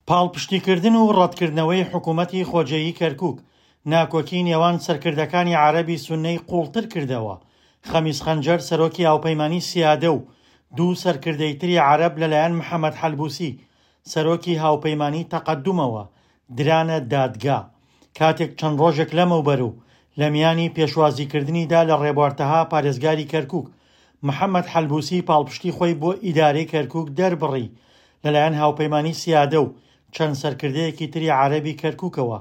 پاڵپشتیکردن و ڕەتکردنەوەی حکوومەتی خۆجێیی کەرکووک، ناکۆکی نێوان سەرکردەکانی عەرەبی سوننەی قووڵتر کردەوە. خەمیس خەنجەر سەرۆکی هاوپەیمانی سیادە و دوو سەرکردەی تری عەرەب لەلایەن محەمەد حەلبوسی سەرۆکی هاوپەیمانی تەقەدومەوە درانە دادگا کاتێک چەند ڕۆژێک لەمەوبەر و لە میانی پێشوازیکردنیدا لە ڕێبوار تەها پارێزگاری کەرکوک محەمەد حەلبوسی پاڵپشتی خۆی بۆ ئیدارەی کەرکوک دەربڕی لەلایەن هاوپەیمانی سیادە و چەند سەرکردەیەکی تری عەرەبی کەرکوکەوە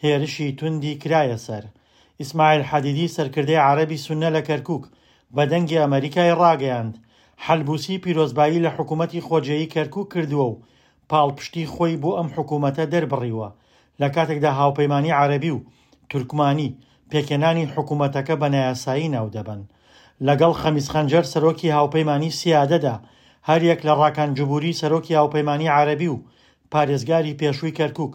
هێرشی توندی کرایە سەر. ئیسماعیل حەدیدی سەرکردەی عەرەبی سوننە لە کەرکوک بە دەنگی ئەمەریکای ڕاگەیاند، حەلبوسی پیرۆزبایی لە حکومەتی خۆجێیی کەرکوک کردووە و پاڵپشتی خۆی بۆ ئەم حکومەتە دەربڕیوە، لە کاتێکدا هاوپەیمانی عەرەبی و تورکمانی پێکهێنانی حکومەتەکە بە نایاسایی ناودەبەن. لەگەڵ خەمیس خەنجەر سەرۆکی هاوپەیمانی سیادەدا، هەریەک لە ڕاکان جبوری سەرۆکی هاوپەیمانی عەرەبی و پارێزگاری پێشووی کەرکوک،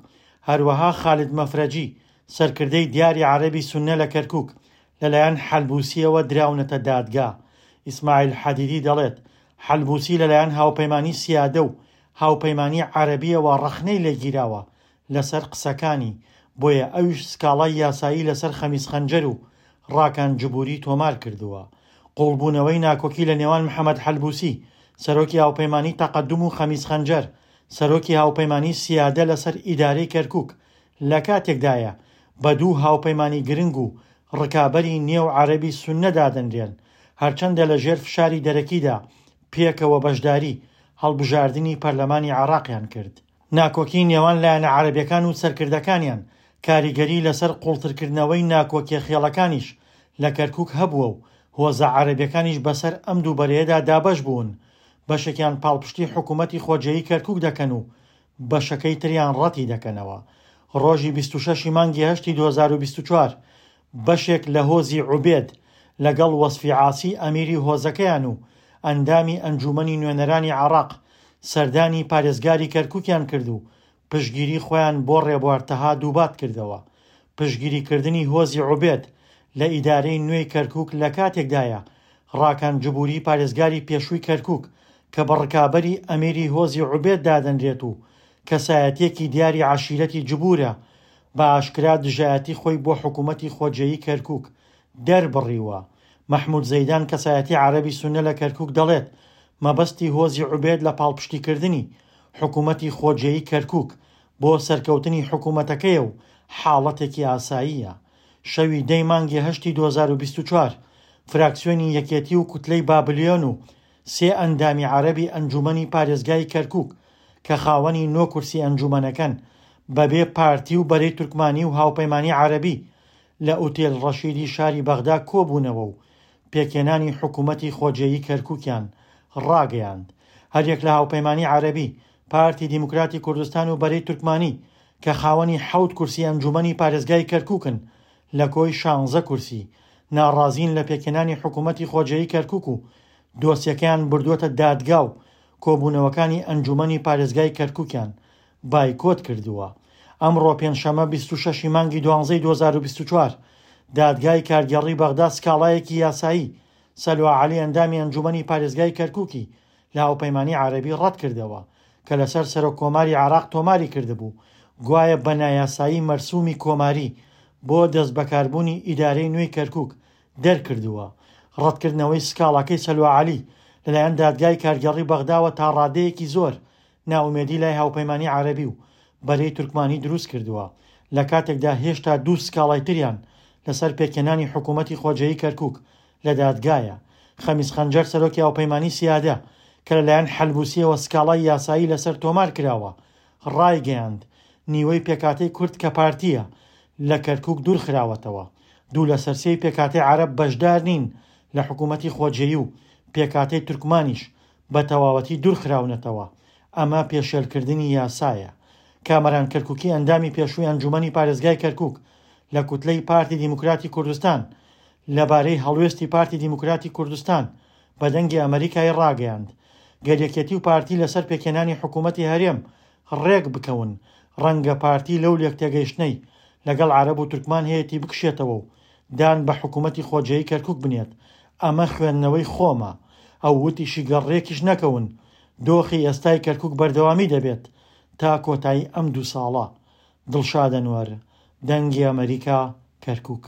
هەروەها خالد مەفرەجی، سەرکردەی دیاری عەرەبی سوننە لە کەرکوک، لەلایەن حەلبوسییەوە دراونەتە دادگا. ئیسماعیل حەدیدی دەڵێت، حەلبوسی لەلایەن هاوپەیمانی سیادە و هاوپەیمانی عەرەبییەوە ڕەخنەی لێگیراوە لەسەر قسەکانی، بۆیە ئەویش سکاڵای یاسایی لەسەر خەمیس خەنجەر و ڕاکان جبوری تۆمار کردووە. قوڵبوونەوەی ناکۆکی لە نێوان محەمەد حەلبوسی، سەرۆکی هاوپەیمانی تەقەدوم و خەمیس خەنجەر، سەرۆکی هاوپەیمانی سیادە لەسەر ئیدارەی کەرکوک لە کاتێکدایە بە دوو هاوپەیمانی گرنگ و ڕکابەری نێو عەرەبی سوننە دادەنرێن، هەرچەندە لە ژێر فشاری دەرەکیدا پێکەوە بەشداری هەڵبژاردنی پەرلەمانی عێراقیان کرد. ناکۆکی نێوان لایەنە عەرەبیەکان و سەرکردەکانیان کاریگەری لەسەر قوڵترکردنەوەی ناکۆکیە خێڵەکانیش لە کەرکوک هەبووە و هۆزە عەرەبیەکانیش بەسەر ئەم دوو بەرەیەدا دابەش بوون، بەشێکیان پاڵپشتی حکومەتی خۆجێیی کەرکوک دەکەن و بەشەکەی تریان ڕەتی دەکەنەوە. ڕۆژی 26 ی مانگی هەشتی 2024 بەشێک لە هۆزی عوبێد لەگەڵ وەسفی عاسی ئەمیری هۆزەکەیان و ئەندامی ئەنجوومەنی نوێنەرانی عێراق سەردانی پارێزگاری کەرکوکیان کرد و پشتگیری خۆیان بۆ ڕێبوار تەها دووبات کردەوە. پشتگیری کردنی هۆزی عوبێد لە ئیدارەی نوێی کەرکوک لە کاتێکدایە ڕاکان جبوری پارێزگاری پێشووی کەرکوک کە بە ڕکابەری ئەمیری هۆزی عوبێد دادەنرێت و کەسایەتیەکی دیاری عەشیرەتی جبورە بە ئاشکرا دژایەتی خۆی بۆ حکومەتی خۆجێیی کەرکوک دەربڕیوە. مەحمود زەیدان کەسایەتی عەرەبی سوننە لە کەرکوک دەڵێت مەبەستی هۆزی عوبێد لە پاڵپشتیکردنی حکومەتی خۆجێیی کەرکوک بۆ سەرکەوتنی حکومەتەکەیە و حاڵەتێکی ئاساییە. شەوی دەی مانگی هەشتی 2024 فراکسیۆنی یەکێتی و کوتلەی بابلیۆن و سێ ئەندامی عەرەبی ئەنجومەنی پارێزگای کەرکوک کە خاوەنی نۆ کورسی ئەنجومەنەکەن بەبێ پارتی و بەرەی تورکمانی و هاوپەیمانی عەرەبی لە ئوتێل ڕەشیدی شاری بەغدا کۆبوونەوە و پێکهێنانی حکومەتی خۆجێیی کەرکوکیان ڕاگەیاند. هەریەک لە هاوپەیمانی عەرەبی، پارتی دیموکراتی کوردستان و بەرەی تورکمانی کە خاوەنی حەوت کورسی ئەنجومەنی پارێزگای کەرکوکن لە کۆی شانزە کورسی، ناڕازین لە پێکهێنانی حکومەتی خۆجێیی کەرکوک و دۆسیەکەیان بردووەتە دادگا و کۆبوونەوەکانی ئەنجومەنی پارێزگای کەرکوکیان بایکۆت کردووە. ئەمڕۆ پێنجشەممە 26 ی مانگی دوانزەی 2024، دادگای کارگێڕی بەغدا سکاڵایەکی یاسایی سەلوا عەلی ئەندامی ئەنجومەنی پارێزگای کەرکوکی لە هاوپەیمانی عەرەبی ڕەتکردەوە کە لەسەر سەرۆک کۆماری عێراق تۆماری کردبوو گوایە بە نایاسایی مەرسومی کۆماری بۆ دەستبەکاربوونی ئیدارەی نوێی کەرکوک دەرکردووە. ڕەتکردنەوەی سکاڵاکەی سەلوا عەلی لەلایەن دادگای کارگێڕی بەغداوە تاڕادەیەکی زۆر نائومێدی لای هاوپەیمانی عەرەبی و بەرەی تورکمانی دروست کردووە، لە کاتێکدا هێشتا دوو سکاڵای تریان لەسەر پێکهێنانی حکوومەتی خۆجێیی کەرکووک لە دادگایە. خەمیس خەنجەر سەرۆکی هاوپەیمانی سیادە کە لەلایەن حەلبوسییەوە سکاڵای یاسایی لەسەر تۆمار کراوە، ڕایگەیاند، نیوەی پێکهاتەی کورد کە پارتییە، لە کەرکووک دوورخراوەتەوە. دوو لەسەر سێی پێکهاتەی عەرەب بەشدار نین لە حکوومەتی خۆجێیی و پێکهاتەی تورکمانیش بە تەواوەتی دوورخراونەتەوە، ئەمە پێشێلکردنی یاسایە. کامەران کەرکوکی ئەندامی پێشووی ئەنجوومەنی پارێزگای کەرکوک لە کوتلەی پارتی دیموکراتی کوردستان لەبارەی هەڵوێستی پارتی دیموکراتی کوردستان بە دەنگی ئەمەریکای ڕاگەیاند گەر یەکێتی و پارتی لەسەر پێکهێنانی حکوومەتی هەرێم ڕێک بکەون ڕەنگە پارتی لەو لێکتێگەیشتنەی لەگەڵ عەرەب و تورکمان هەیەتی بکشێتەوە و دان بە حکوومەتی خۆجێی کەرکوک بنێت، ئەمە خوێندنەوەی خۆمە. ئەو وتیشی گەر ڕێکیش نەکەون، دۆخی ئێستای کەرکوک بەردەوامی دەبێت. تا کۆتایی ئەم دوو ساڵە. دڵشاد ئەنوەر، دەنگی ئەمەریکا، کەرکوک.